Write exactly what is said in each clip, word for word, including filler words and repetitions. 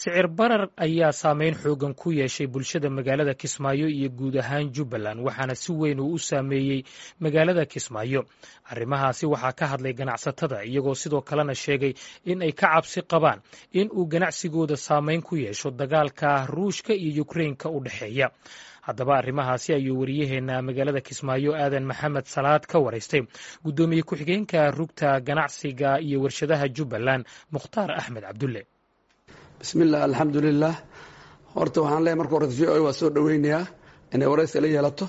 Sicir barar ayaa saameyn xoogan ku yeeshay bulshada magaalada Kismaayo iyo guud ahaan Jubbaland, waxaana si weyn uu u saameeyey magaalada Kismaayo. Arrimahaasi waxaa ka hadlay ganacsatada, iyagoo sidoo kalena sheegay in ay ka cabsi qabaan in uu ganacsigooda saameyn ku yeesho dagaalka Ruushka iyo Yukrainka u dhexeeya. Haddaba arrimahaasi ayuu wariyaheena magaalada Kismaayo Aadan Maxamed Salaad ka waraystay guddoomiye ku-xigeenka rugta ganacsiga iyo warshadaha Jubbaland, Mukhtaar Axmed Cabdulle. Bismillaah, alxamdulilah. Horta waxaan leeyahy, marka horeta V O A waa soo dhoweynayaa inay waraysi la yeelato.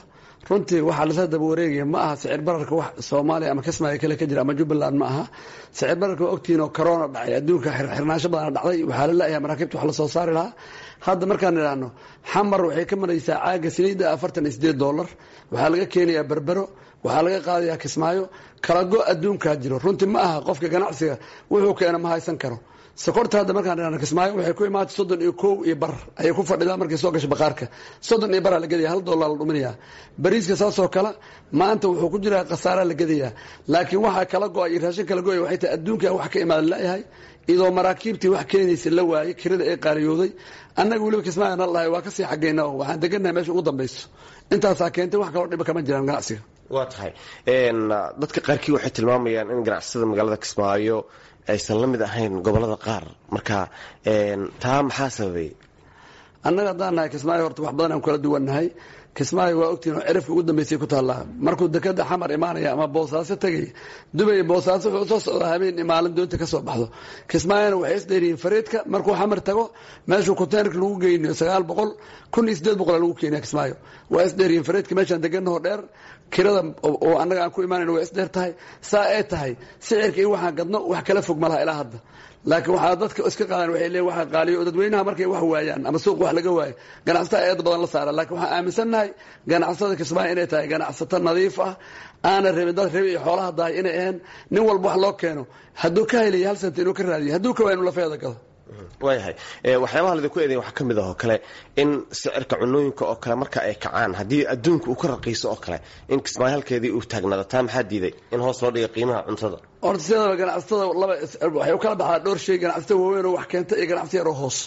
Runtii waxaa lasla daba wareegaya ma aha sicir bararka wax Soomaaliya ama Kismaayo kale ka jira ama Jubbaland ma aha. Sicir bararka waa ogtihiin oo corona dhacay, adduunka xirxirnaansho badana dhacday, waxaa la la'yahay maraakiibta wax la soo saari lahaa. Hadda markaan idhaahno, Xamar waxay ka maraysaa caaga saliidda afartan iyo sideed dollar. Waxaa laga keenayaa Berbero, waxaa laga qaadayaa Kismaayo. Kala go adduunkaa jiro. Runtii ma aha qofka ganacsiga wuxuu keena ma haysan karo. Sokorta hadda markaan idhahno, Kismaayo waxay ku imaatay soddon iyo kow iyo bar ayay ku fadhidaa. Markay soo gasho baqaarka, soddon iyo baraa la gedaya, hal dollar la dhuminayaa. Bariiska saasoo kale maanta wuxuu ku jiraa khasaaraa la gadayaa, laakiin waxaa kala go-ay iyo raashin kala go-ay waxay tahay adduunka wax ka imaada la'yahay, iyadoo maraakiibtii wax keenaysa la waayey, kirada ee qaaliyooday. Annaga weliba Kismaayo na lahay waa kasii xaggayna oo waxaan degannahay meesha ugu dambayso. Intaasaa keentay, wax kaloo dhiba kama jiraan ganacsiga. Waa tahay. Dadka qaarkii waxay tilmaamayaan in ganacsatada magaalada Kismaayo aysan la mid ahayn gobolada qaar. Marka taa maxaa sababay? Annaga haddaan nahay Kismaayo, horta wax badan aan kala duwannahay. Kismaayo waa ogtihin oo cirifka ugu dambeysay ku taallaa. Markuu dekada Xamar imaanaya ama Boosaaso tegay, Dubay, Boosaaso, wuxuu soo socdaa habeen maalin doonta ka soo baxdo. Kismaayona waxay isdheeriyiin freight-ka. Markuu Xamar tago, meeshuu containerka lagu geynayo sagaal boqol, kun iyo sideed boqol lagu keenaya Kismaayo. Waa isdheeriyiin freight-ka. Meeshaan deganahoo dheer, kirada oo annaga aan ku imaanayno waa isdheer tahay. Saa ay tahay, sicirka iyo waxaan gadno wax kala fog ma laha ilaa hadda. Laakiin waxaa dadka iska qaadan, waxay leeyihin waxa qaaliyo oo dadweynaha markay wax waayaan ama suuq wax laga waayo, ganacsatada eed badan la saara. Laakiin waxaan aaminsannahay ganacsatada Kismaayo inay tahay ganacsato nadiif ah, aana rabin dad rabi iyo xoolaha dahay inay ahayn. Nin walba wax loo keeno hadduu ka helayo hal senti inuu ka raadiyo, hadduu ka waayo inuu lafeeda gado. Waayahay. Waxyaabaha laidinku eedeyn waxaa ka mid ah oo kale in sicirka cunooyinka oo kale marka ay kacaan, haddii adduunka uu ka raqiiso oo kale, in Kismaayo halkeedii uu taagnaado. Taa maxaa diiday in hoos loo dhiga qiimaha cuntada? Horta sideedaba ganacsatada laba waxay u kala baxdaa dhowr shay: ganacsatada waaweyn oo wax keenta iyo ganacsi yaroo hoos.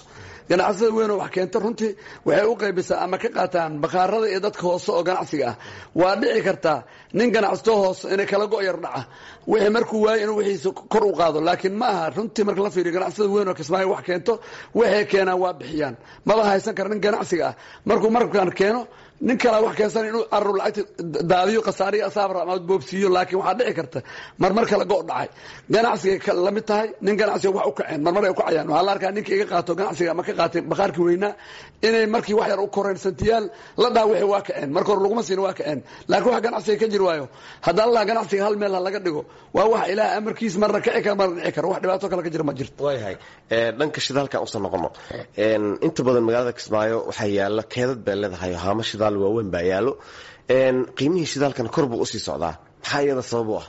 Ganacsatada weyn oo wax keenta runtii waxay u qaybisaa ama ka qaataan bakhaarada iyo dadka hoose oo ganacsiga ah. Waa dhici kartaa nin ganacsato hoose inay kala go' yar dhaca, wixii markuu waayo inuu wixiisa kor u qaado. Laakiin ma aha runtii marka la fiiriyo, ganacsatada weyn oo Kismaayo wax keento waxay keenaan waa bixiyaan. Maba haysan kara nin ganacsiga ah markuu markan keeno, nin kalaa wax keensan inuu carru lacagta daadiyo, khasaariyo asaabra ama boobsiiyo. Laakiin waxaa dhici karta marmar kala go' dhacay ganacsiga la mid tahay nin ganacsiga wax u kaceen, marmar ay u kacayaan. Waxaa la arkaa ninka iga qaato ganacsiga ama ka qaatay bakhaarkii weynaa inay markii wax yar u koreen santiyaal la dhaha wixii waa kaceen. Marka hore laguma siin, waa kaceen. Laakiin wax ganacsiga ka jiri waayo haddaan laha ganacsiga hal meel ha laga dhigo, waa wax Ilaah amarkiis marna kici kara, marna dhici karo. Wax dhibaato kale ka jira ma jirto. Waayahay. Dhanka shidaalkan usoo noqono. Inta badan magaalada Kismaayo waxaa yaalo keedad bay leedahay, haamo shidaal waaweyn baa yaalo. Qiimihii shidaalkan kor buu usii socdaa. Maxaa iyada sabab u ah?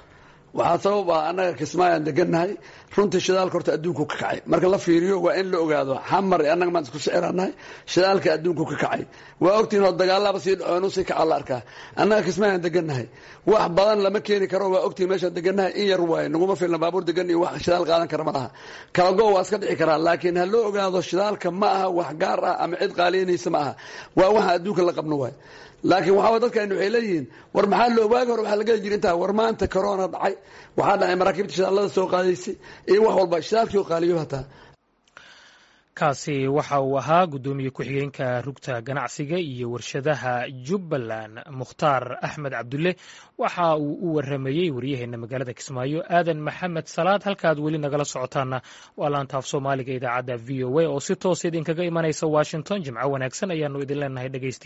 Waxaa sabab ah, annaga Kismaayaan degannahay. Runtii shidaalka horta adduunku ka kacay marka la fiiriyo, waa in la ogaado Xamar annaga maan isku siciranahay. Shidaalka adduunku ka kacay waa ogtihin oo dagaalaba sii dhaco inuu sii kaca la arkaa. Annaga Kismaayaan degannahay, wax badan lama keeni karo. Waa ogtihin meeshaan degannahay in yar waaye, naguma filna baabuur degan iyo wax shidaal qaadan kara ma laha. Kala go waa iska dhici karaa, laakiin ha loo ogaado shidaalka ma aha wax gaar ah ama cid qaaliyanaysa ma aha. Waa waxa adduunka la qabno waay. Laakiin waxaa dadkan waxay leeyihiin, war maxaa loo waagi hore waxaa la geli jira intaa? War maanta corona dhacay, waxaa dhacay maraakiibta shidaalada soo qaadaysay iyo wax walba shidaalkii oo qaaliyo hataa. Kaasi waxa uu ahaa guddoomiye ku-xigeenka rugta ganacsiga iyo warshadaha Jubbaland, Mukhtaar Axmed Cabdulle. Waxa uu u waramayey waryaheena magaalada Kismaayo, Aadan Maxamed Salaad. Halkaad weli nagala socotaana waa laanta af Soomaaliga idaacadda V O A oo si toos idinkaga imanaysa Washington. Jimco wanaagsan ayaanu idin leenahay, dhegeystiya.